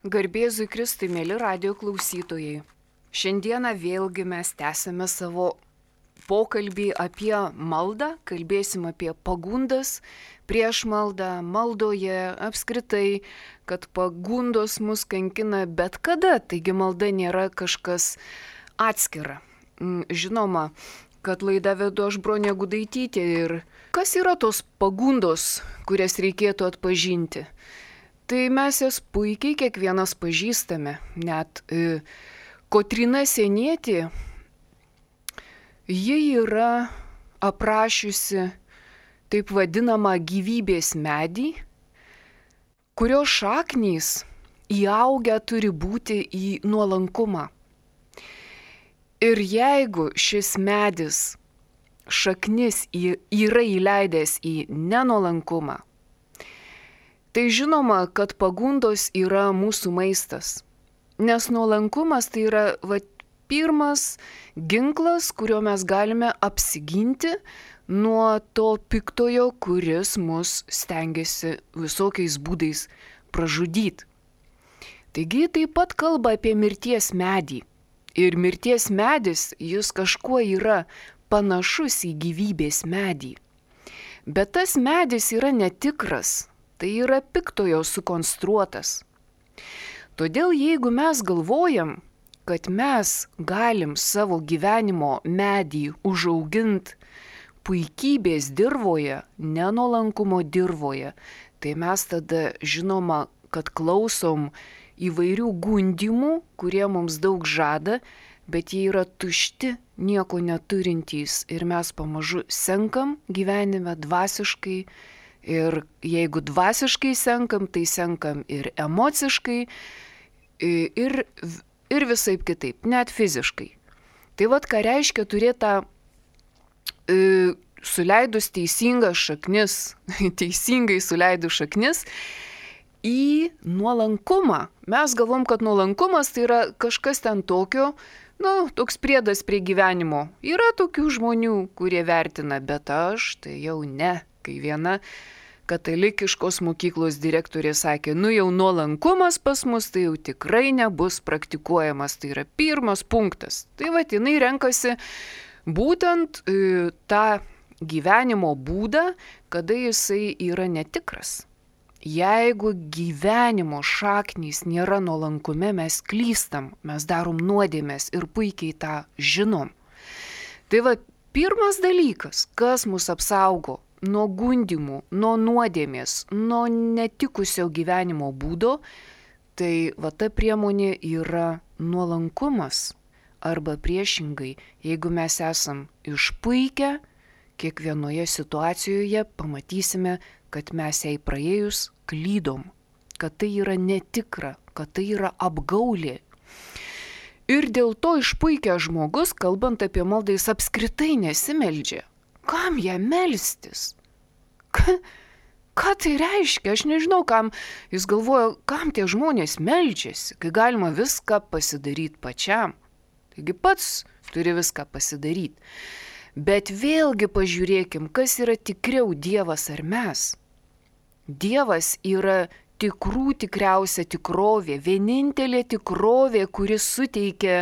Garbėzui Kristui, mėly radijo klausytojai. Šiandieną vėlgi mes tęsime savo pokalbį apie maldą, kalbėsim apie pagundas prieš maldą, maldoje apskritai, kad pagundos mus kankina bet kada, taigi malda nėra kažkas atskira. Žinoma, kad laidą vedu aš Bronė Gudaitytė ir kas yra tos pagundos, kurias reikėtų atpažinti? Tai mes jas puikiai kiekvienas pažįstame, net Kotryna Sienietė, ji yra aprašiusi taip vadinamą gyvybės medį, kurio šaknys įaugę turi būti į nuolankumą. Ir jeigu šis medis šaknis yra įleidęs į nenuolankumą, tai žinoma, kad pagundos yra mūsų maistas, nes nuolankumas tai yra pirmas ginklas, kuriuo mes galime apsiginti nuo to piktojo, kuris mus stengiasi visokiais būdais pražudyti. Taigi taip pat kalba apie mirties medį. Ir mirties medis, jis kažkuo yra panašus į gyvybės medį. Bet tas medis yra netikras. Tai yra piktojo sukonstruotas. Todėl jeigu mes galvojam, kad mes galim savo gyvenimo medį užauginti puikybės dirvoje, nenuolankumo dirvoje, tai mes tada žinoma, kad klausom įvairių gundimų, kurie mums daug žada, bet jie yra tušti, nieko neturintys ir mes pamažu senkam gyvenime dvasiškai. Ir jeigu dvasiškai senkam, tai senkam ir emociškai, ir visaip kitaip, net fiziškai. Tai ką reiškia turėti tą suleidus teisingas šaknis, teisingai suleidus šaknis į nuolankumą. Mes galvom, kad nuolankumas tai yra kažkas ten tokio, toks priedas prie gyvenimo. Yra tokių žmonių, kurie vertina, bet aš tai jau ne. Kai viena katalikiškos mokyklos direktorė sakė, jau nuolankumas pas mus tai jau tikrai nebus praktikuojamas, tai yra pirmas punktas. Tai jinai renkasi būtent tą gyvenimo būdą, kada jisai yra netikras. Jeigu gyvenimo šaknys nėra nuolankume, mes klystam, mes darom nuodėmes ir puikiai tą žinom. Tai pirmas dalykas, kas mus apsaugo nuo gundimų, nuo nuodėmės, nuo netikusio gyvenimo būdo, tai ta priemonė yra nuolankumas. Arba priešingai, jeigu mes esam išpuikę, kiekvienoje situacijoje pamatysime, kad mes jai praėjus klydom, kad tai yra netikra, kad tai yra apgaulė. Ir dėl to išpuikęs žmogus, kalbant apie maldą, jis apskritai nesimeldžia. Kam ją melstis? Ką tai reiškia? Aš nežinau, kam jis galvoja, kam tie žmonės meldžiasi, kai galima viską pasidaryti pačiam. Taigi pats turi viską pasidaryti. Bet vėlgi pažiūrėkim, kas yra tikriau, Dievas ar mes. Dievas yra tikriausia tikrovė, vienintelė tikrovė, kuris suteikia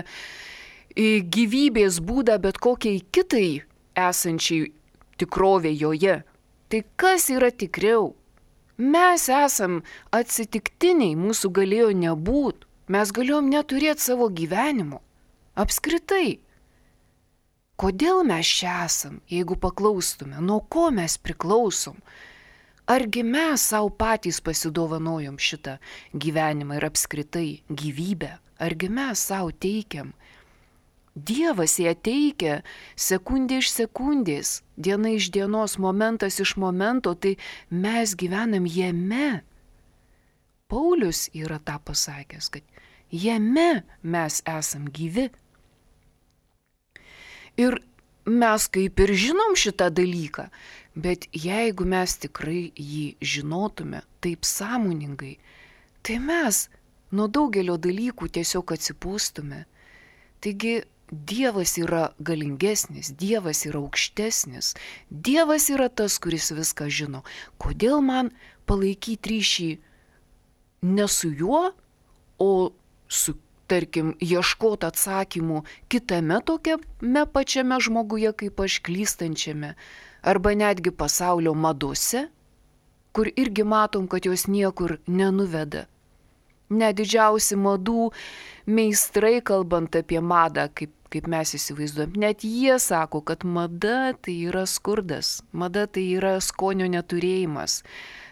gyvybės būdą bet kokiai kitai esančiai tikrovė joje. Tai kas yra tikriau? Mes esam atsitiktiniai, mūsų galėjo nebūt. Mes galėjom neturėti savo gyvenimo. Apskritai. Kodėl mes čia esam, jeigu paklaustume, nuo ko mes priklausom? Argi mes savo patys pasidovanojom šitą gyvenimą ir apskritai gyvybę? Argi mes savo teikiam? Dievas ją teikia sekundė iš sekundės, diena iš dienos, momentas iš momento, tai mes gyvenam jame. Paulius yra tą pasakęs, kad jame mes esam gyvi. Ir mes kaip ir žinom šitą dalyką, bet jeigu mes tikrai jį žinotume taip sąmoningai, tai mes nuo daugelio dalykų tiesiog atsipūstume. Taigi Dievas yra galingesnis, Dievas yra aukštesnis, Dievas yra tas, kuris viską žino. Kodėl man palaikyti ryšį ne su juo, o tarkim, ieškoti atsakymų kitame tokiame pačiame žmoguje kaip aš klystančiame, arba netgi pasaulio madose, kur irgi matom, kad jos niekur nenuveda. Net didžiausi madų meistrai, kalbant apie madą, kaip mes įsivaizduojam, net jie sako, kad mada tai yra skurdas, mada tai yra skonio neturėjimas.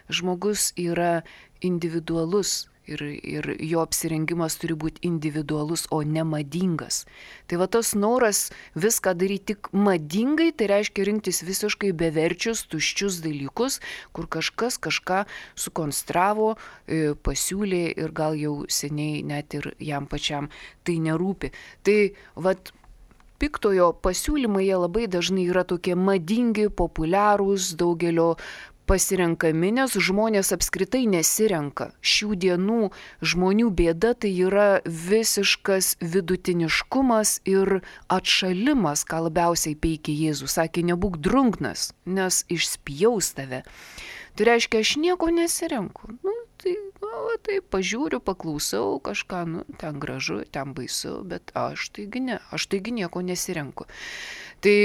Žmogus yra individualus ir jo apsirengimas turi būti individualus, o ne madingas. Tai va tas noras viską daryti tik madingai, tai reiškia rinktis visiškai beverčius, tuščius dalykus, kur kažkas kažką sukonstravo, pasiūlė ir gal jau seniai net ir jam pačiam tai nerūpi. Tai vat piktojo pasiūlymai jie labai dažnai yra tokie madingi, populiarūs, daugelio pasirenkami, nes žmonės apskritai nesirenka. Šių dienų žmonių bėda tai yra visiškas vidutiniškumas ir atšalimas, ką labiausiai peikia Jėzus. Sakė, nebūk drungnas, nes išspjaus tave. Tai reiškia, aš nieko nesirenku. Tai pažiūriu, paklausau kažką, ten gražu, ten baisu, bet aš taigi nieko nesirenku. Tai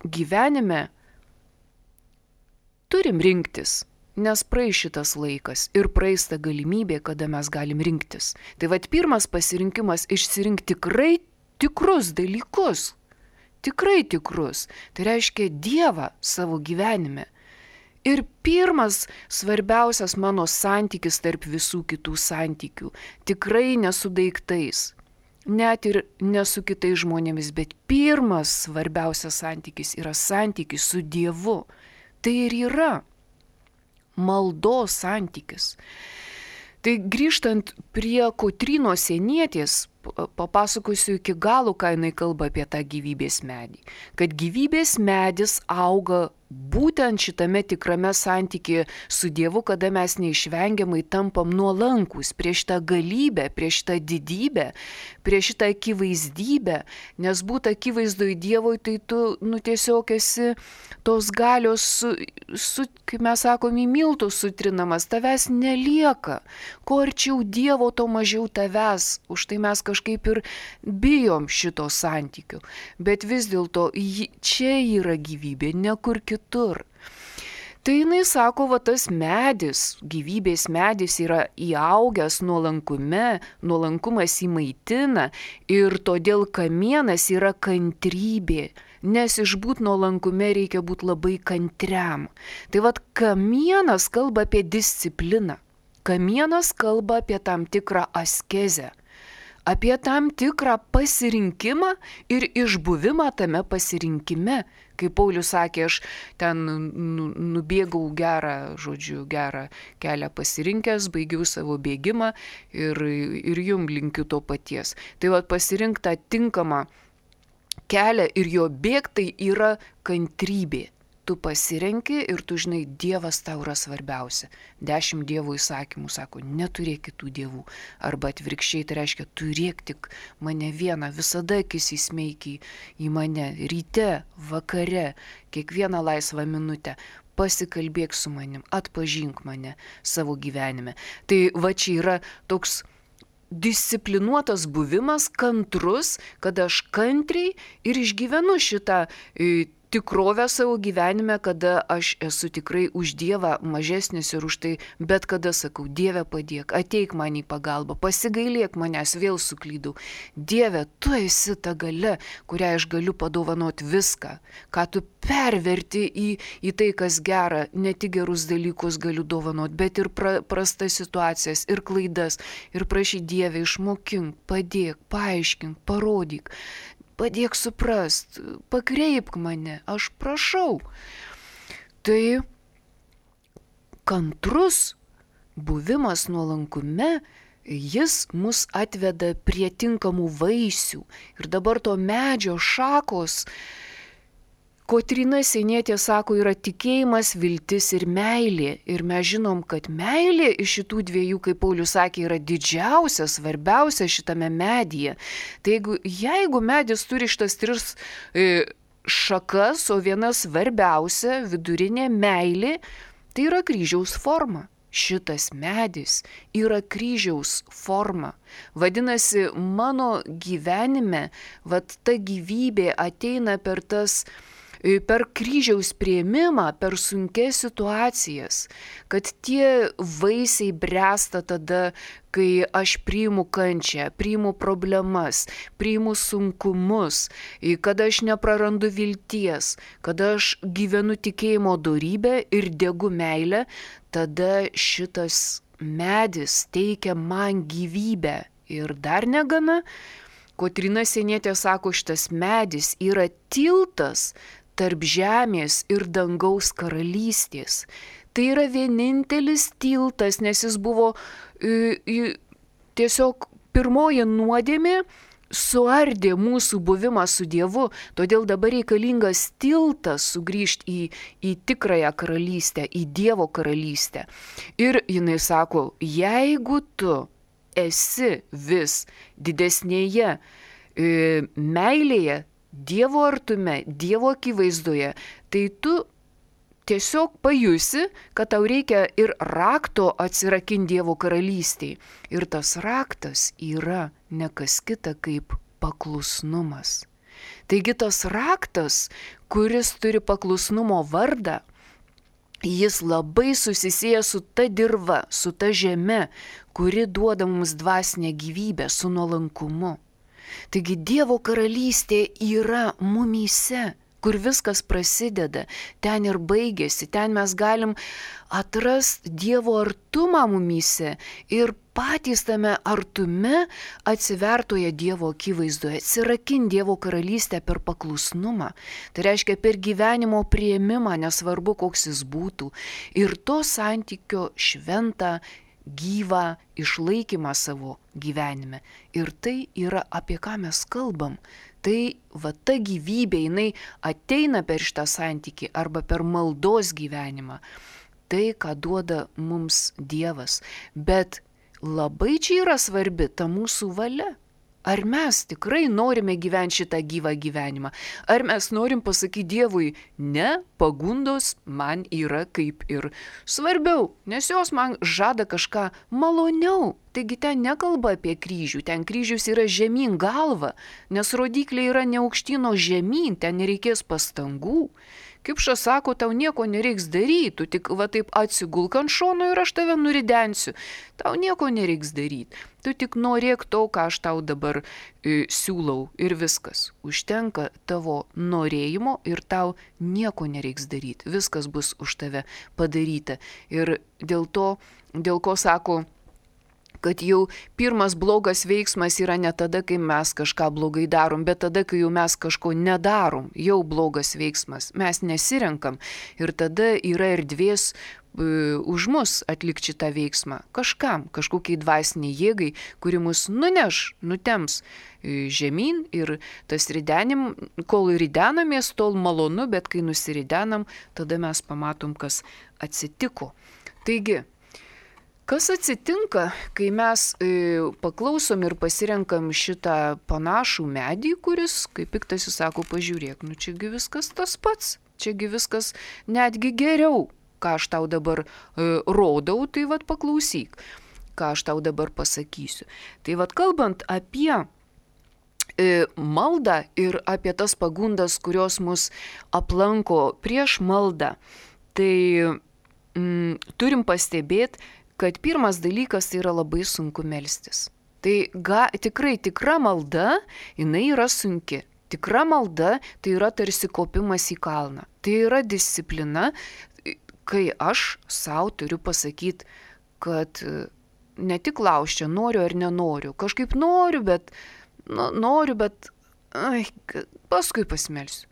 gyvenime turim rinktis, nes praeis šitas laikas ir praeis ta galimybė, kada mes galim rinktis. Tai vat pirmas pasirinkimas išsirinkti tikrai tikrus dalykus. Tikrai tikrus. Tai reiškia Dievą savo gyvenime. Ir pirmas svarbiausias mano santykis tarp visų kitų santykių. Tikrai ne su daiktais. Net ir ne su kitais žmonėmis, bet pirmas svarbiausias santykis yra santykis su Dievu. Tai ir yra maldos santykis. Tai grįžtant prie Kotrynos Sienietės, papasakosiu iki galo, ką jinai kalba apie tą gyvybės medį. Kad gyvybės medis auga būtent šitame tikrame santykėje su Dievu, kada mes neišvengiamai tampam nuolankus prieš šitą galybę, prieš šitą didybę, prieš šitą akivaizdybę, nes būt akivaizdoj Dievui, tai tu tiesiog esi tos galios, kaip mes sakom, į miltus sutrinamas, tavęs nelieka. Kuo arčiau Dievo, to mažiau tavęs, už tai mes kažkaip ir bijom šito santykių. Bet vis dėlto čia yra gyvybė, ne kur kitur. Tai jinai sako, va tas medis, gyvybės medis yra įaugęs nuolankume, nuolankumas įmaitina ir todėl kamienas yra kantrybė, nes išbūt nuolankume reikia būti labai kantriam. Tai vat kamienas kalba apie discipliną, kamienas kalba apie tam tikrą askezę, apie tam tikrą pasirinkimą ir išbuvimą tame pasirinkime. Kaip Paulius sakė, aš ten nubėgau gerą kelią pasirinkęs, baigiau savo bėgimą ir jum linkiu to paties. Tai va pasirink tą tinkamą kelią ir jo bėgti yra kantrybė. Tu pasirenki ir tu žinai, Dievas tau yra svarbiausia. 10 Dievo įsakymų sako, neturėk kitų dievų. Arba atvirkščiai, tai reiškia, turėk tik mane vieną, visada akis įsmeikiai į mane, ryte, vakare, kiekvieną laisvą minutę. Pasikalbėk su manim, atpažink mane savo gyvenime. Tai va čia yra toks disciplinuotas buvimas, kantrus, kad aš kantriai ir išgyvenu šitą tikrovę savo gyvenime, kada aš esu tikrai už Dievą mažesnis ir už tai, bet kada sakau, Dieve padėk, ateik man į pagalbą, pasigailėk manęs, vėl suklydau. Dieve, tu esi ta galia, kurią aš galiu padovanoti viską, ką tu perverti į tai, kas gera, ne tik gerus dalykus galiu dovanoti, bet ir prastas situacijas, ir klaidas, ir prašy Dieve, išmokink, padėk, paaiškink, parodyk. Padėk suprast, pakreipk mane, aš prašau. Tai kantrus buvimas nuolankume, jis mus atveda prie tinkamų vaisių. Ir dabar to medžio šakos, Kotryna Sienietė sako, yra tikėjimas, viltis ir meilė. Ir mes žinom, kad meilė iš šitų dviejų, kaip Paulius sakė, yra didžiausia, svarbiausia šitame medyje. Tai jeigu medis turi šitas 3 šakas, o viena svarbiausia, vidurinė meilė, tai yra kryžiaus forma. šitas medis yra kryžiaus forma. Vadinasi, mano gyvenime, ta gyvybė ateina per kryžiaus priėmimą, per sunkias situacijas, kad tie vaisiai bręsta tada, kai aš priimu kančią, priimu problemas, priimu sunkumus, kada aš neprarandu vilties, kada aš gyvenu tikėjimo dorybę ir degu meilę, tada šitas medis teikia man gyvybę. Ir dar negana, Kotryna Sienietė sako, šitas medis yra tiltas tarp žemės ir dangaus karalystės. Tai yra vienintelis tiltas, nes jis buvo tiesiog pirmoji nuodėmė suardė mūsų buvimą su Dievu, todėl dabar reikalingas tiltas sugrįžti į tikrąją karalystę, į Dievo karalystę. Ir jinai sako, jeigu tu esi vis didesnėje meilėje, Dievo artume, Dievo akivaizdoje, tai tu tiesiog pajusi, kad tau reikia ir rakto atsirakinti Dievo karalystiai. Ir tas raktas yra ne kas kita kaip paklusnumas. Taigi tas raktas, kuris turi paklusnumo vardą, jis labai susisieja su ta dirva, su ta žeme, kuri duoda mums dvasinę gyvybę, su nuolankumu. Taigi Dievo karalystė yra mumyse, kur viskas prasideda, ten ir baigėsi, ten mes galim atrasti Dievo artumą mumyse ir patys tame artume atsivertoje Dievo akivaizdoje, atsirakinti Dievo karalystę per paklusnumą. Tai reiškia per gyvenimo priėmimą, nesvarbu koks jis būtų, ir to santykio šventą, gyvą išlaikymą savo gyvenime. Ir tai yra apie ką mes kalbam. Tai ta gyvybė, jinai ateina per šitą santykį arba per maldos gyvenimą. Tai, ką duoda mums Dievas. Bet labai čia yra svarbi ta mūsų valia. Ar mes tikrai norime gyventi šitą gyvą gyvenimą? Ar mes norim pasakyti Dievui, ne, pagundos man yra kaip ir svarbiau, nes jos man žada kažką maloniau. Taigi ten nekalba apie kryžių, ten kryžius yra žemyn galva, nes rodikliai yra ne aukštyn, o žemyn, ten nereikės pastangų. Kipšas sako, tau nieko nereiks daryti, tu tik taip atsigulk ant šono ir aš tave nuridensiu. Tau nieko nereiks daryti, tu tik norėk to, ką aš tau dabar siūlau ir viskas. Užtenka tavo norėjimo ir tau nieko nereiks daryti, viskas bus už tave padaryta. Ir dėl ko sako, kad jau pirmas blogas veiksmas yra ne tada, kai mes kažką blogai darom, bet tada, kai jau mes kažko nedarom, jau blogas veiksmas, mes nesirenkam ir tada yra erdvės už mus atlikti šitą veiksmą kažkam, kažkokiai dvasiniai jėgai, kuri mus nutems žemyn ir tas ridenim, kol ridenamės, tol malonu, bet kai nusiridenam, tada mes pamatom, kas atsitiko. Taigi, kas atsitinka, kai mes paklausom ir pasirenkam šitą panašų medį, kuris, kaip Piktasis sako, pažiūrėk, čiagi viskas tas pats, čiagi viskas netgi geriau, ką aš tau dabar rodau, tai paklausyk, ką aš tau dabar pasakysiu. Tai kalbant apie maldą ir apie tas pagundas, kurios mus aplanko prieš maldą, tai turim pastebėti, kad pirmas dalykas tai yra labai sunku melstis. Tai tikrai tikra malda, jinai yra sunki. Tikra malda tai yra tarsi kopimas į kalną. Tai yra disciplina, kai aš savo turiu pasakyti, kad ne tik klausčiau, noriu ar nenoriu. Kažkaip noriu, bet paskui pasimelsiu.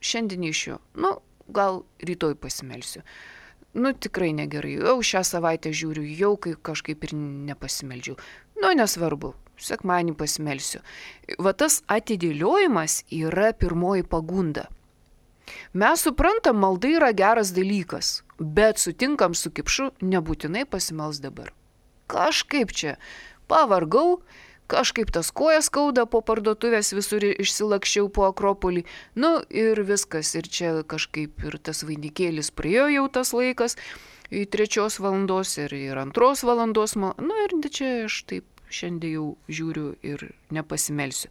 Šiandien iš jo, gal rytoj pasimelsiu. Tikrai negerai, jau šią savaitę žiūriu, jau kažkaip ir nepasimeldžiu. Nesvarbu, sekmadienį pasimelsiu. Tas atidėliojimas yra pirmoji pagunda. Mes suprantam, malda yra geras dalykas, bet sutinkam su Kipšu, nebūtinai pasimels dabar. Kažkaip čia pavargau, kažkaip tas kojas skauda po parduotuvės, visur išsilakščiau po Akropolį, ir viskas, ir čia kažkaip ir tas vainikėlis praėjo jau tas laikas, 3 valandos ir 2 valandos. Ir čia aš taip šiandien jau žiūriu ir nepasimelsiu.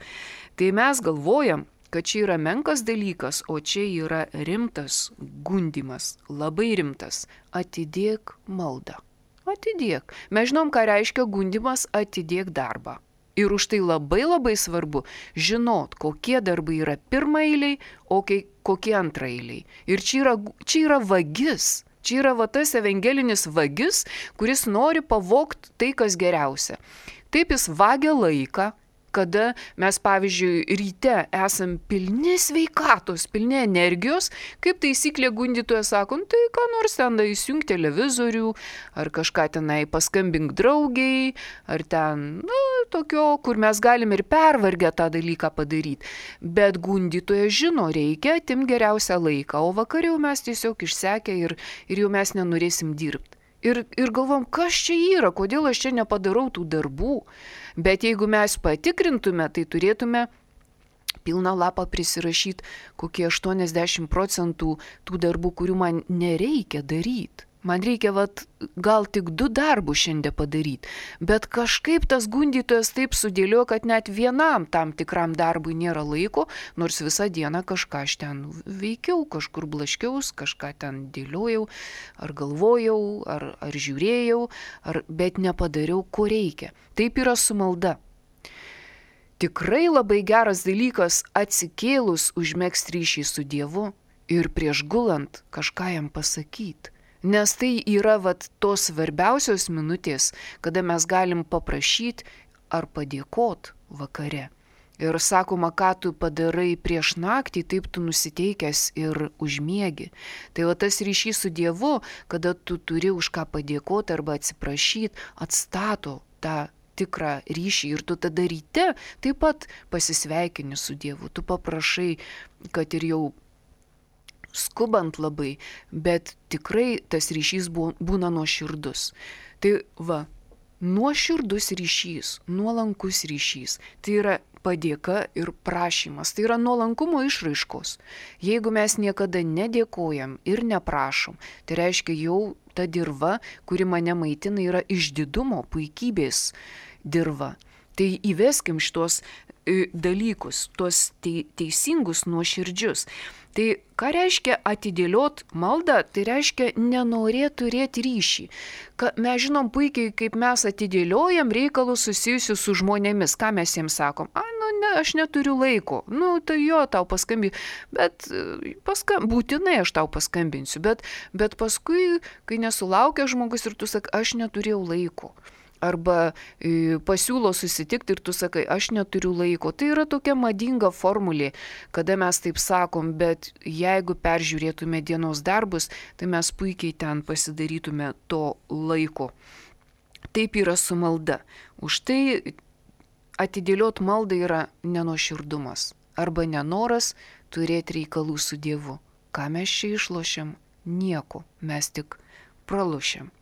Tai mes galvojam, kad čia yra menkas dalykas, o čia yra rimtas gundymas, labai rimtas. Atidėk maldą. Atidėk. Mes žinom, ką reiškia gundymas, atidėk darbą. Ir už tai labai labai svarbu žinot, kokie darbai yra pirmaeiliai, o kokie antraeiliai. Ir čia yra vagis. Čia yra tas evangelinis vagis, kuris nori pavogti tai, kas geriausia. Taip jis vagia laiką, kada mes, pavyzdžiui, ryte esam pilni sveikatos, pilni energijos, kaip taisyklė gundytojas sako, tai ką nors ten įsijunk televizorių, ar kažką tenai paskambink draugiai, ar ten, tokio, kur mes galim ir pervargę tą dalyką padaryti. Bet gundytojas žino, reikia atimti geriausią laiką, o vakar jau mes tiesiog išsekę ir jau mes nenorėsim dirbti. Ir galvom, kas čia yra, kodėl aš čia nepadarau tų darbų. Bet jeigu mes patikrintume, tai turėtume pilną lapą prisirašyti kokie 80% tų darbų, kurių man nereikia daryti. Man reikia gal tik 2 darbus šiandien padaryti, bet kažkaip tas gundytojas taip sudėliojo, kad net vienam tam tikram darbui nėra laiko, nors visą dieną kažką aš ten veikiau, kažkur blaškiaus, kažką ten dėliojau, ar galvojau, ar žiūrėjau, bet nepadariau, ko reikia. Taip yra su malda. Tikrai labai geras dalykas atsikėlus užmegzti ryšį su Dievu ir prieš gulant kažką jam pasakyti. Nes tai yra tos svarbiausios minutės, kada mes galim paprašyti ar padėkoti vakare. Ir sakoma, ką tu padarai prieš naktį, taip tu nusiteikęs ir užmiegi. Tai tas ryšys su Dievu, kada tu turi už ką padėkoti arba atsiprašyti, atstato tą tikrą ryšį. Ir tu tada ryte taip pat pasisveikini su Dievu. Tu paprašai, kad ir jau skubant labai, bet tikrai tas ryšys būna nuoširdus. Tai nuoširdus ryšys, nuolankus ryšys, tai yra padėka ir prašymas, tai yra nuolankumo išraiškos. Jeigu mes niekada nedėkojam ir neprašom, tai reiškia jau ta dirva, kuri mane maitina, yra išdidumo, puikybės dirva. Tai įveskim šitos dalykus, tuos teisingus, nuoširdžius. Tai ką reiškia atidėliot maldą, tai reiškia nenorėti turėti ryšį. Mes žinom puikiai, kaip mes atidėliojam reikalus susijusius su žmonėmis. Ką mes jiems sakom? Ne, aš neturiu laiko. Tai jo, tau paskambinsiu. Bet būtinai aš tau paskambinsiu. Bet paskui, kai nesulaukia žmogus ir tu sakai, aš neturėjau laiko. Arba pasiūlo susitikti ir tu sakai, aš neturiu laiko. Tai yra tokia madinga formulė, kada mes taip sakom, bet jeigu peržiūrėtume dienos darbus, tai mes puikiai ten pasidarytume to laiko. Taip yra su malda. Už tai atidėliot maldą yra nenuoširdumas arba nenoras turėti reikalų su Dievu. Ką mes čia išlošiam? Nieko, mes tik pralošiam.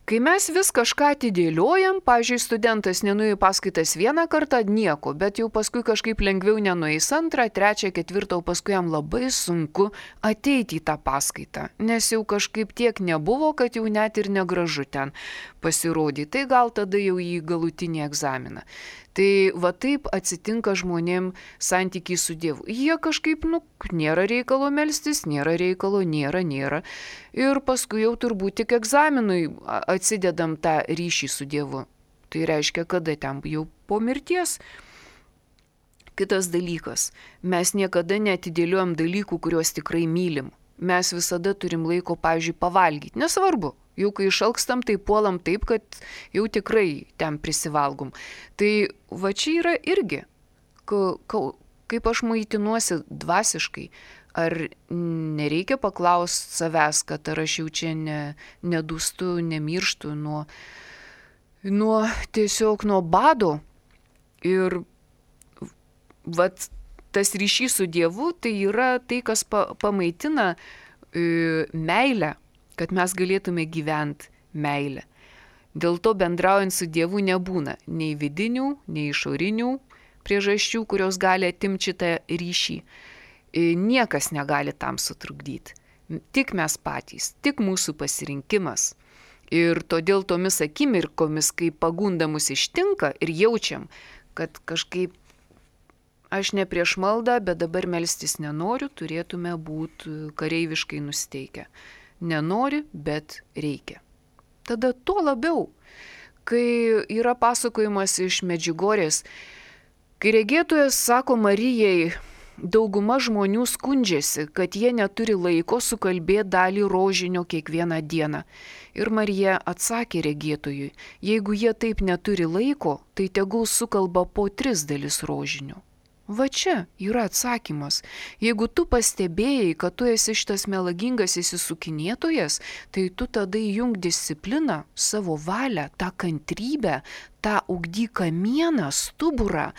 Kai mes vis kažką atidėliojam, pavyzdžiui, studentas nenuėjo paskaitas vieną kartą, nieko, bet jau paskui kažkaip lengviau nenueis 2, 3, 4, o paskui jam labai sunku ateiti į tą paskaitą, nes jau kažkaip tiek nebuvo, kad jau net ir negražu ten pasirodyti, tai gal tada jau į galutinį egzaminą. Tai taip atsitinka žmonėm santykiai su Dievu. Jie kažkaip, nėra reikalo melstis, nėra reikalo, nėra. Ir paskui jau turbūt tik egzaminui atsidedam tą ryšį su Dievu. Tai reiškia, kada ten jau po mirties. Kitas dalykas, mes niekada neatidėliojam dalykų, kuriuos tikrai mylim. Mes visada turim laiko, pavyzdžiui, pavalgyti. Nesvarbu. Jau kai išalkstam, tai puolam taip, kad jau tikrai ten prisivalgom. Tai čia yra irgi, kaip aš maitinuosi dvasiškai, ar nereikia paklausti savęs, kad ar aš jau čia nedūstu, nemirštu tiesiog nuo bado. Ir tas ryšys su Dievu, tai yra tai, kas pamaitina meilę, kad mes galėtume gyventi meilę. Dėl to bendraujant su Dievu nebūna nei vidinių, nei išorinių priežasčių, kurios gali atimti šitą ryšį. Niekas negali tam sutrukdyti. tik mes patys, tik mūsų pasirinkimas. Ir todėl tomis akimirkomis, kai pagunda mus ištinka ir jaučiam, kad kažkaip aš ne prieš maldą, bet dabar melstis nenoriu, turėtume būti kareiviškai nusteikę. Nenori, bet reikia. Tada tuo labiau, kai yra pasakojimas iš Medžiugorės, kai regėtojas sako Marijai, dauguma žmonių skundžiasi, kad jie neturi laiko sukalbėti dalį rožinio kiekvieną dieną. Ir Marija atsakė regėtojui, jeigu jie taip neturi laiko, tai tegul sukalba po 3 dalis rožinio. Va čia yra atsakymas. Jeigu tu pastebėjai, kad tu esi šitas melagingas įsisukinėtojas, tai tu tada įjung discipliną, savo valią, tą kantrybę, tą ugdyk kamieną, stuburą.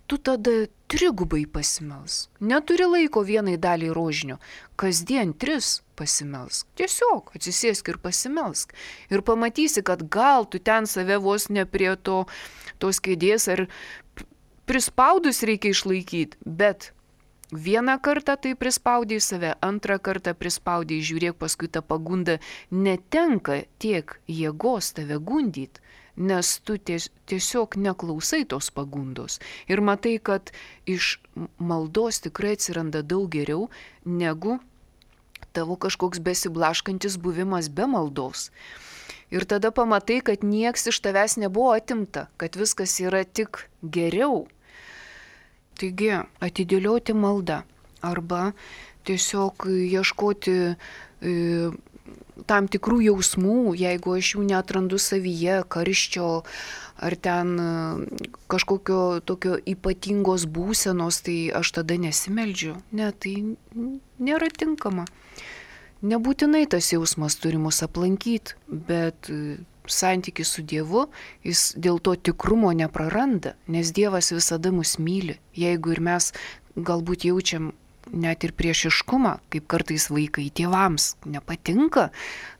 Tu tada 3 pasimelsk. Neturi laiko vienai daliai rožinio. Kasdien 3 pasimelsk. Tiesiog atsisėsk ir pasimelsk. Ir pamatysi, kad gal tu ten save vos ne prie tos kėdės ar prispaudus reikia išlaikyti, bet vieną kartą tai prispaudai save, antrą kartą prispaudai, žiūrėk, paskui ta pagunda netenka tiek jėgos tave gundyti, nes tu tiesiog neklausai tos pagundos. Ir matai, kad iš maldos tikrai atsiranda daug geriau, negu tavo kažkoks besiblaškantis buvimas be maldos. Ir tada pamatai, kad nieks iš tavęs nebuvo atimta, kad viskas yra tik geriau. Taigi, atidėlioti maldą arba tiesiog ieškoti tam tikrų jausmų, jeigu aš jų neatrandu savyje, karščio ar ten kažkokio tokio ypatingos būsenos, tai aš tada nesimeldžiu. Ne, tai nėra tinkama. Nebūtinai tas jausmas turi mus aplankyti, bet santykis su Dievu, jis dėl to tikrumo nepraranda, nes Dievas visada mus myli. Jeigu ir mes galbūt jaučiam net ir priešiškumą, kaip kartais vaikai tėvams nepatinka,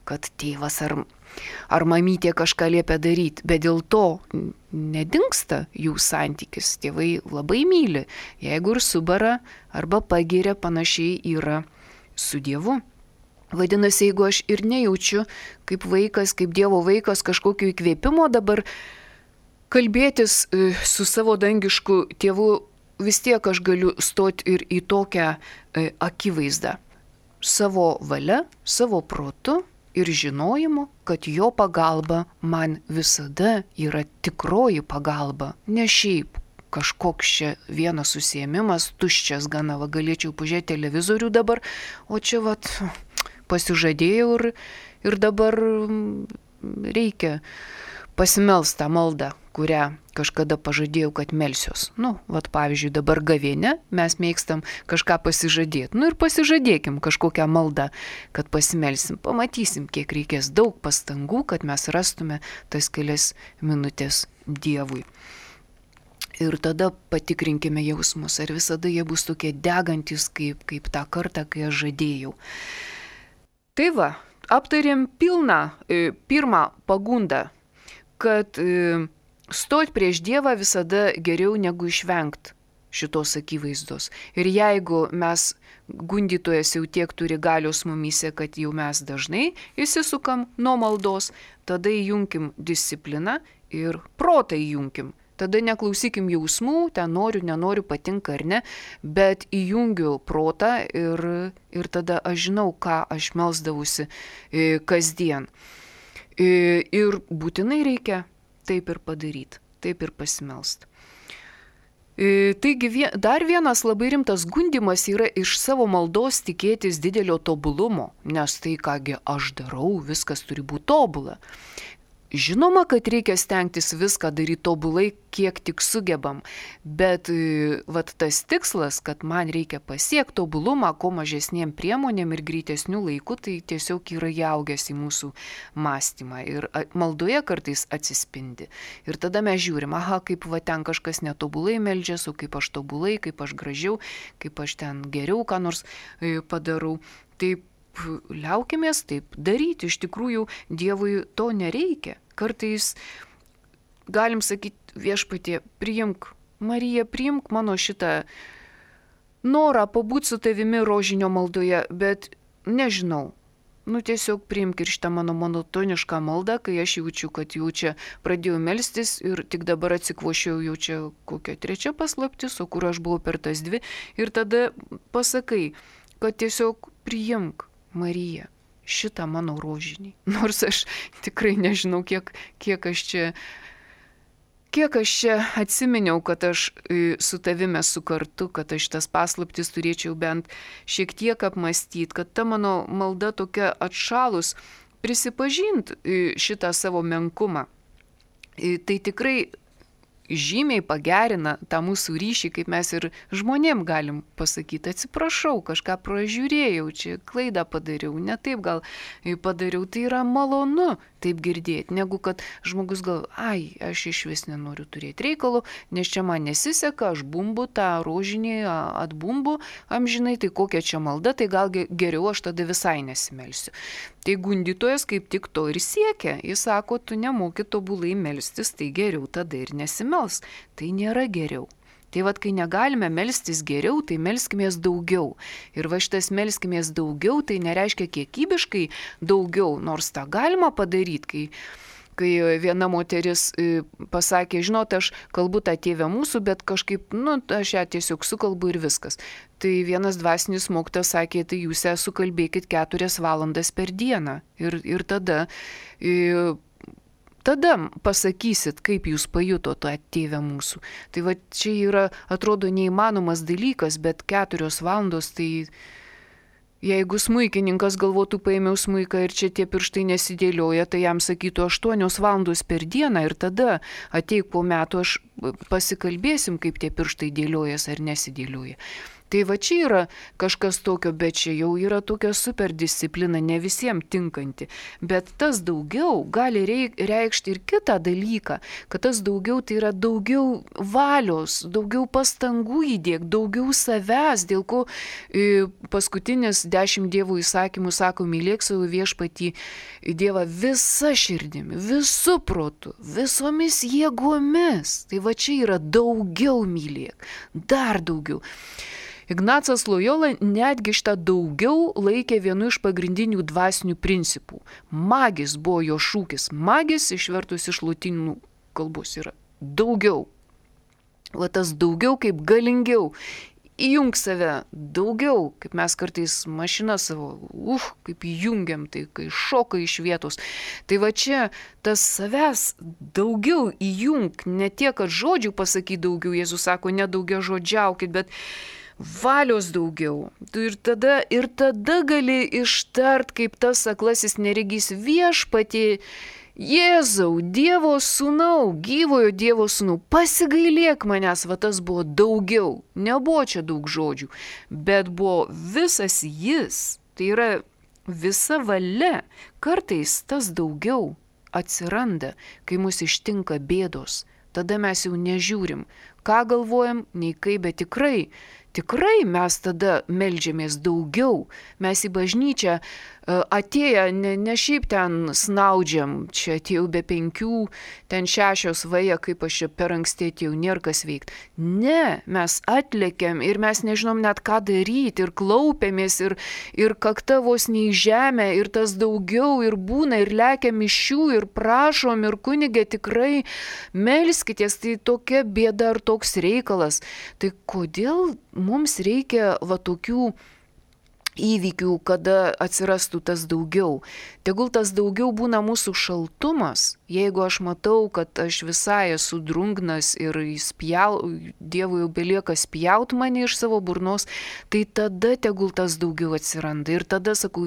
kad tėvas ar mamytė kažką liepia daryti, bet dėl to nedingsta jų santykis. Tėvai labai myli, jeigu ir subara arba pagiria, panašiai yra su Dievu. Vadinasi, jeigu aš ir nejaučiu kaip vaikas, kaip Dievo vaikas kažkokio įkvėpimo dabar kalbėtis su savo dangišku tėvu, vis tiek aš galiu stoti ir į tokią akivaizdą. Savo valia, savo protu ir žinojimu, kad jo pagalba man visada yra tikroji pagalba, ne šiaip kažkoks čia vienas užsiėmimas, tuščias gana, galėčiau pažiūrėti televizorių dabar, o čia pasižadėjau ir dabar reikia pasimelst tą maldą, kurią kažkada pažadėjau, kad melsiuos. Pavyzdžiui, dabar gavėne mes mėgstam kažką pasižadėti. Ir pasižadėkim kažkokią maldą, kad pasimelsim. Pamatysim, kiek reikės daug pastangų, kad mes rastume tas kelias minutės Dievui. Ir tada patikrinkime jausmus, ar visada jie bus tokie degantis, kaip tą kartą, kai aš žadėjau. Tai aptarėm pirmą pagundą, kad stoti prieš Dievą visada geriau negu išvengti šitos akivaizdos. Ir jeigu mes gundytojas jau tiek turi galios mumyse, kad jau mes dažnai įsisukam nuo maldos, tada įjunkim discipliną ir protą įjunkim. Tada neklausykim jausmų, ten noriu, nenoriu, patinka ar ne, bet įjungiu protą ir tada aš žinau, ką aš melsdavusi kasdien. Ir būtinai reikia taip ir padaryti, taip ir pasimelst. Taigi dar vienas labai rimtas gundymas yra iš savo maldos tikėtis didelio tobulumo, nes tai, kągi aš darau, viskas turi būti tobula. Žinoma, kad reikia stengtis viską daryti tobulai, kiek tik sugebam, bet tas tikslas, kad man reikia pasiekti tobulumą, kuo mažesniem priemonėm ir greitesnių laikų, tai tiesiog yra įaugęs į mūsų mąstymą ir maldoje kartais atsispindi. Ir tada mes žiūrim, kaip ten kažkas netobulai meldžiasi, o kaip aš tobulai, kaip aš gražiau, kaip aš ten geriau ką nors padarau. Taip, liaukimės taip daryti, iš tikrųjų Dievui to nereikia. Kartais galim sakyti, Viešpatie, priimk, Marija, priimk mano šitą norą pabūti su tavimi rožinio maldoje, bet nežinau. Tiesiog priimk ir šitą mano monotonišką maldą, kai aš jaučiu, kad jau čia pradėjau melstis ir tik dabar atsikvošiau jau čia kokia 3 paslaptis, o kur aš buvau per tas 2. Ir tada pasakai, kad tiesiog priimk, Marija, šitą mano rožinį. Nors aš tikrai nežinau, kiek aš čia atsiminiau, kad aš su tavimi esu kartu, kad aš tas paslaptis turėčiau bent šiek tiek apmastyti, kad ta mano malda tokia atšalus, prisipažint šitą savo menkumą. Tai tikrai žymiai pagerina tą mūsų ryšį, kaip mes ir žmonėm galim pasakyti, atsiprašau, kažką pražiūrėjau, čia klaidą padariau, ne taip gal padariau, tai yra malonu taip girdėti, negu kad žmogus gal, aš iš vis nenoriu turėti reikalų, nes čia man nesiseka, aš bumbu tą rožinį, atbumbu amžinai, tai kokia čia malda, tai gal geriau aš tada visai nesimelsiu. Tai gundytojas kaip tik to ir siekia, jis sako, tu nemoki tobulai melstis, tai geriau tada ir nesimels, tai nėra geriau. Tai vat, kai negalime melstis geriau, tai melskimės daugiau. Ir va šitas melskimės daugiau, tai nereiškia kiekybiškai daugiau, nors tą galima padaryti, kai viena moteris pasakė, žinot, aš kalbu tą Tėvę mūsų, bet kažkaip, aš ją tiesiog sukalbu ir viskas. Tai vienas dvasinis mokytojas sakė, tai jūs ją sukalbėkit 4 valandas per dieną. Ir tada pasakysit, kaip jūs pajuto tą Tėvę mūsų. Tai va čia yra, atrodo, neįmanomas dalykas, bet 4 valandos, tai jeigu smuikininkas galvotų, paėmiau smuiką ir čia tie pirštai nesidėlioja, tai jam sakytų 8 valandos per dieną ir tada ateik po metų, aš pasikalbėsim, kaip tie pirštai dėliojas ar nesidėlioja. Tai va čia yra kažkas tokio, bet čia jau yra tokia super disciplina, ne visiems tinkanti. Bet tas daugiau gali reikšti ir kitą dalyką, kad tas daugiau tai yra daugiau valios, daugiau pastangų įdėk, daugiau savęs, dėl ko paskutinis 10 Dievo įsakymų sako, mylėk savo viešpatį Dievą visa širdimi, visu protu, visomis jėgomis. Tai va čia yra daugiau mylėk, dar daugiau. Ignacas Lojola netgi šitą daugiau laikė vienu iš pagrindinių dvasinių principų. Magis buvo jo šūkis. Magis išvertus iš lotynų kalbos yra daugiau. Va tas daugiau kaip galingiau. Įjung save daugiau, kaip mes kartais mašiną savo, kaip įjungiam, tai kai šoka iš vietos. Tai va čia tas savęs daugiau įjung, ne tiek, kad žodžių pasakyti daugiau, Jėzus sako, nedaugia žodžiaukit, bet valios daugiau. Ir tada gali ištart, kaip tas aklasis neregys, viešpatie Jėzau, Dievo sūnau, gyvojo Dievo sūnau, pasigailėk manęs, va tas buvo daugiau. Nebuvo čia daug žodžių, bet buvo visas jis, tai yra visa valia. Kartais tas daugiau atsiranda, kai mus ištinka bėdos. Tada mes jau nežiūrim, ką galvojam, nei kaip, bet tikrai mes tada meldžiamės daugiau. Mes į bažnyčią atėję, ne šiaip ten snaudžiam, čia atėjau be 5, ten 6 vaja, kaip aš čia per anksti atėjau, nėra kas veikti. Ne, mes atlėkiam ir mes nežinom net ką daryti ir klaupiamės ir kakta vos nei žemė ir tas daugiau ir būna ir lekiam iš jų ir prašom ir kunigė tikrai melskitės, tai tokia bėda ar toks reikalas. Tai kodėl mums reikia va tokių įvykių, kada atsirastų tas daugiau. Tegul tas daugiau būna mūsų šaltumas, jeigu aš matau, kad aš visai esu drungnas ir Dievui jau belieka spjaut mane iš savo burnos, tai tada tegul tas daugiau atsiranda. Ir tada sakau,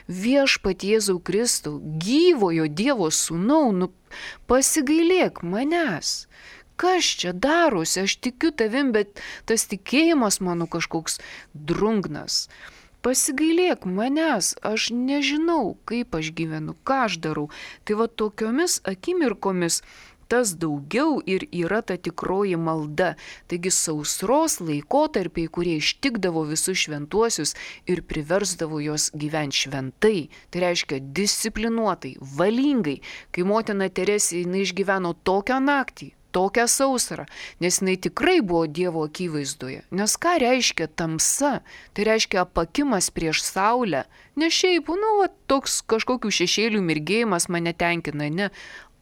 viešpatie Jėzau Kristau, gyvojo Dievo sūnau, pasigailėk manęs. Kas čia darosi, aš tikiu tavim, bet tas tikėjimas mano kažkoks drungnas. Pasigailėk manęs, aš nežinau, kaip aš gyvenu, ką aš darau. Tai va tokiomis akimirkomis tas daugiau ir yra ta tikroji malda. Taigi sausros laikotarpiai, kurie ištikdavo visus šventuosius ir priversdavo juos gyventi šventai. Tai reiškia disciplinuotai, valingai. Kai motina Teresė išgyveno tokią naktį, tokią sausrą, nes jinai tikrai buvo Dievo akivaizdoje. Nes ką reiškia tamsa? Tai reiškia apakimas prieš saulę. Ne šiaip, toks kažkokių šešėlių mirgėjimas mane tenkina, ne.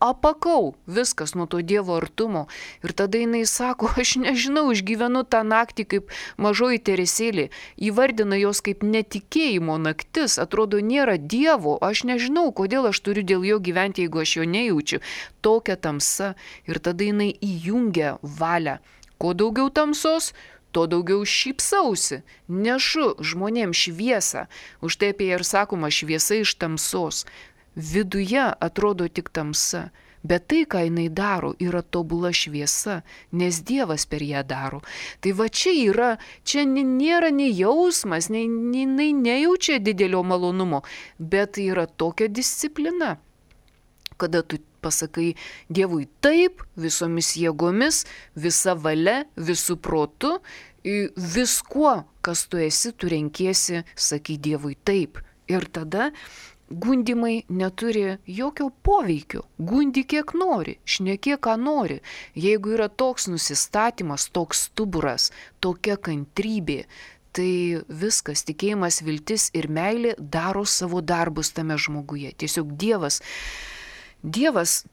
Apakau viskas nuo to Dievo artumo. Ir tada jinai sako, aš nežinau, išgyvenu tą naktį kaip mažoji Teresėlė. Įvardina jos kaip netikėjimo naktis. Atrodo, nėra Dievo. Aš nežinau, kodėl aš turiu dėl jo gyventi, jeigu aš jo nejaučiu. Tokia tamsa. Ir tada jinai įjungia valią. Kuo daugiau tamsos, tuo daugiau šypsausi. Nešu žmonėms šviesą. Už tai apie ją ir sakoma šviesa iš tamsos. Viduje atrodo tik tamsa, bet tai, ką jinai daro, yra tobula šviesa, nes Dievas per ją daro. Tai va čia nėra nei jausmas, jinai nejaučia didelio malonumo, bet tai yra tokia disciplina, kada tu pasakai Dievui taip, visomis jėgomis, visa valia, visų protu, viskuo, kas tu esi, tu renkiesi, sakai Dievui taip. Ir tada gundimai neturi jokio poveikio. Gundi kiek nori, šnekėk ką nori. Jeigu yra toks nusistatymas, toks stuburas, tokia kantrybė, tai viskas, tikėjimas, viltis ir meilė daro savo darbus tame žmoguje. Tiesiog Dievas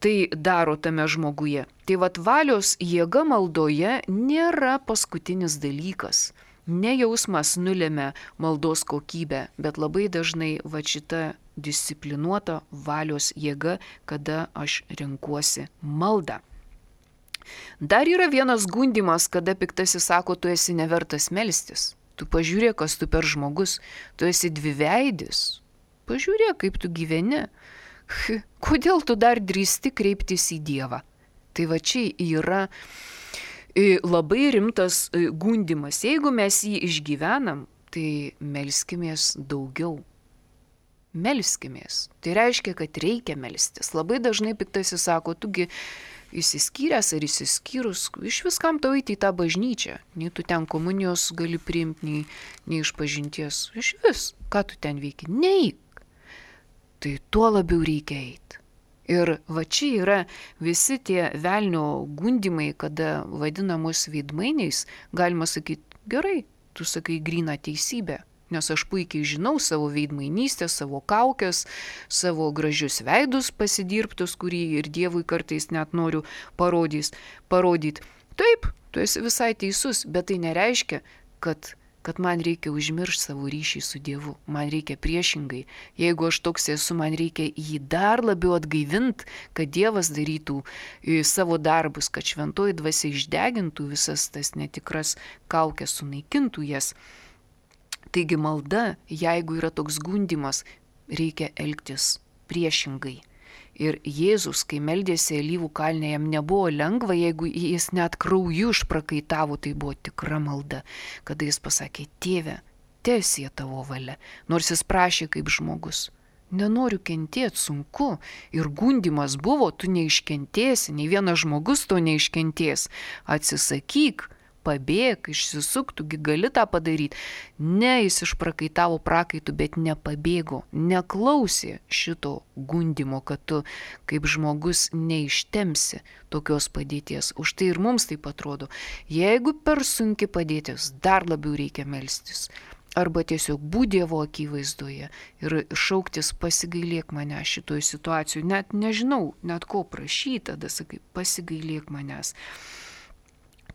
tai daro tame žmoguje. Tai vat valios jėga maldoje nėra paskutinis dalykas. Ne jausmas nulėmė maldos kokybę, bet labai dažnai va šita disciplinuota valios jėga, kada aš renkuosi maldą. Dar yra vienas gundimas, kada piktasis sako, tu esi nevertas melstis. Tu pažiūrėk, kas tu per žmogus, tu esi dviveidis. Pažiūrėk, kaip tu gyveni. Kodėl tu dar drįsti kreiptis į Dievą? Tai va čia yra labai rimtas gundimas. Jeigu mes jį išgyvenam, tai melskimės daugiau. Melskimės. Tai reiškia, kad reikia melstis. Labai dažnai piktasis sako, tugi išsiskyręs ar išsiskyrus, iš viskam tau eiti į tą bažnyčią. Nei tu ten komunijos gali priimti, nei iš pažinties. Iš vis, ką tu ten veiki? Neik. Tai tuo labiau reikia eiti. Ir va čia yra visi tie velnio gundimai, kada vadinamus veidmainiais, galima sakyti, gerai, tu sakai gryną teisybę, nes aš puikiai žinau savo veidmainystę, savo kaukės, savo gražius veidus pasidirbtus, kurį ir Dievui kartais net noriu parodyti. Taip, tu esi visai teisus, bet tai nereiškia, kad man reikia užmiršti savo ryšį su Dievu. Man reikia priešingai. Jeigu aš toks esu, man reikia jį dar labiau atgaivinti, kad Dievas darytų savo darbus, kad šventoji dvasia išdegintų visas tas netikras kaukės, sunaikintų jas. Taigi malda, jeigu yra toks gundimas, reikia elgtis priešingai. Ir Jėzus, kai meldėsi Alyvų kalne, jam nebuvo lengva, jeigu jis net krauju išprakaitavo, tai buvo tikra malda, kada jis pasakė, Tėve, teesie tavo valia, nors jis prašė kaip žmogus. Nenoriu kentėti, sunku. Ir gundimas buvo, tu neiškentėsi, nei vienas žmogus to neiškentės. Atsisakyk. Pabėk, išsisuk, tugi gali tą padaryti. Ne, jis išprakaitavo prakaitų, bet nepabėgo, neklausė šito gundimo, kad tu kaip žmogus neištemsi tokios padėties. Už tai ir mums taip atrodo. Jeigu per sunki padėtis, dar labiau reikia melstis. Arba tiesiog būti Dievo akivaizdoje ir šauktis pasigailėk mane šitoj situacijoje. Net nežinau, net ko prašyti, tada sakai, pasigailėk manęs.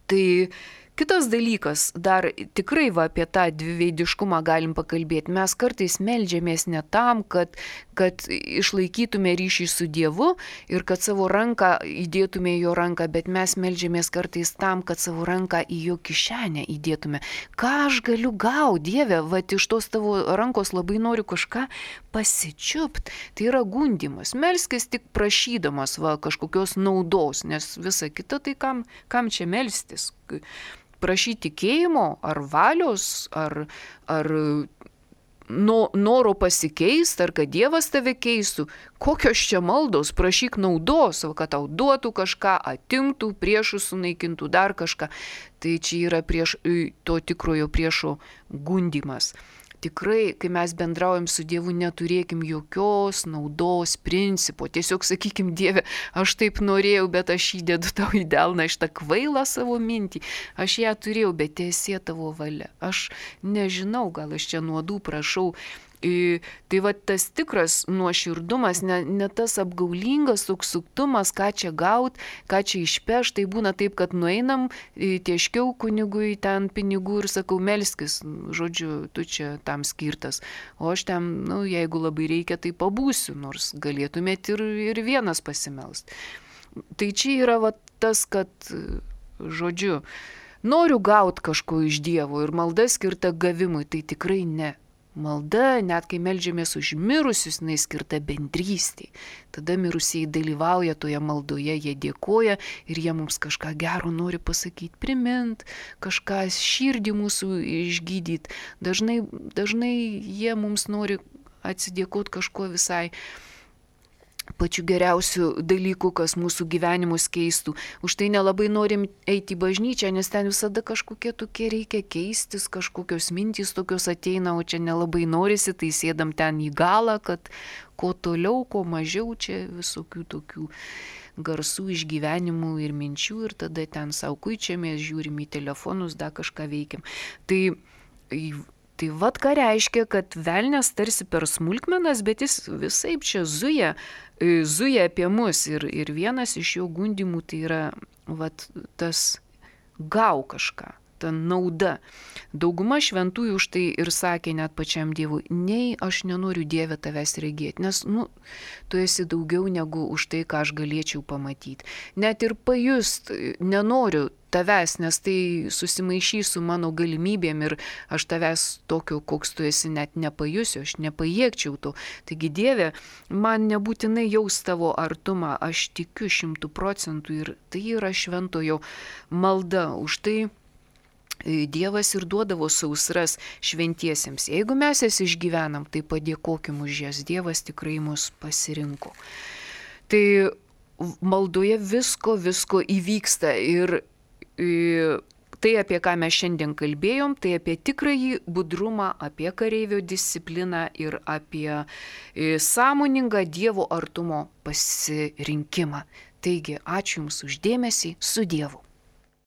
Tai kitas dalykas, dar tikrai apie tą dviveidiškumą galim pakalbėti. Mes kartais meldžiamės ne tam, kad išlaikytume ryšį su Dievu ir kad savo ranką įdėtume į jo ranką, bet mes meldžiamės kartais tam, kad savo ranką į jo kišenę įdėtume. Ką aš galiu gauti, Dieve, iš tos tavo rankos labai noriu kažką pasičiupt. Tai yra gundimas. Melskis tik prašydamas kažkokios naudos, nes visa kita tai kam čia melstis? Prašyti tikėjimo, ar valios, ar noro pasikeisti, ar kad Dievas tave keistų. Kokios čia maldos, prašyk naudos, kad tau duotų kažką, atimtų, priešus sunaikintų, dar kažką. Tai čia yra to tikrojo priešo gundimas. tikrai, kai mes bendraujam su Dievu, neturėkim jokios naudos principo. Tiesiog sakykim, Dieve, aš taip norėjau, bet aš įdedu tau į delną šitą kvailą savo mintį. Aš ją turėjau, bet teesie tavo valia. Aš nežinau, gal aš čia nuodų prašau. Tai va tas tikras nuoširdumas, ne tas apgaulingas toks suktumas, ką čia gaut, ką čia išpeš, tai būna taip, kad nueinam, tieškiau kunigui ten pinigų ir sakau, melskis, žodžiu, tu čia tam skirtas, o aš ten, jeigu labai reikia, tai pabūsiu, nors galėtumėt ir vienas pasimelst. Tai čia yra va tas, kad, žodžiu, noriu gaut kažko iš Dievo ir malda skirta gavimui, tai tikrai ne. Malda, net kai meldžiamės už mirusius, jinai skirta bendrystei. Tada mirusieji dalyvauja toje maldoje, jie dėkoja ir jie mums kažką gero nori pasakyti, primint, kažką širdį mūsų išgydyti. Dažnai jie mums nori atsidėkoti kažkuo visai pačiu geriausiu dalyku, kas mūsų gyvenimus keistų. Už tai nelabai norim eiti į bažnyčią, nes ten visada kažkokie tokie reikia keistis, kažkokios mintys tokios ateina, o čia nelabai norisi, tai sėdam ten į galą, kad kuo toliau, kuo mažiau čia visokių tokių garsų išgyvenimų ir minčių ir tada ten savo kuičiamės, žiūrim į telefonus, dar kažką veikiam. Tai vat ką reiškia, kad velnias tarsi per smulkmenas, bet jis visaip čia zuja apie mus ir vienas iš jo gundimų tai yra vat tas gau kažką, ta nauda. Dauguma šventųjų už tai ir sakė net pačiam Dievui, nei aš nenoriu Dieve tavęs regėti, nes, tu esi daugiau negu už tai, ką aš galėčiau pamatyti. Net ir pajust nenoriu tavęs, nes tai susimaišys su mano galimybėm ir aš tavęs tokio, koks tu esi, net nepajusiu, aš nepajėgčiau to. Taigi Dieve, man nebūtinai jaus tavo artumą, aš tikiu 100% ir tai yra šventojo malda. Už tai Dievas ir duodavo sausras šventiesiems. Jeigu mes jas išgyvenam, tai padėkokim už jas. Dievas tikrai mus pasirinko. Tai maldoje visko įvyksta ir tai, apie ką mes šiandien kalbėjom, tai apie tikrąjį budrumą, apie kareivio discipliną ir apie sąmoningą Dievo artumo pasirinkimą. Taigi, ačiū Jums už dėmesį, su Dievu.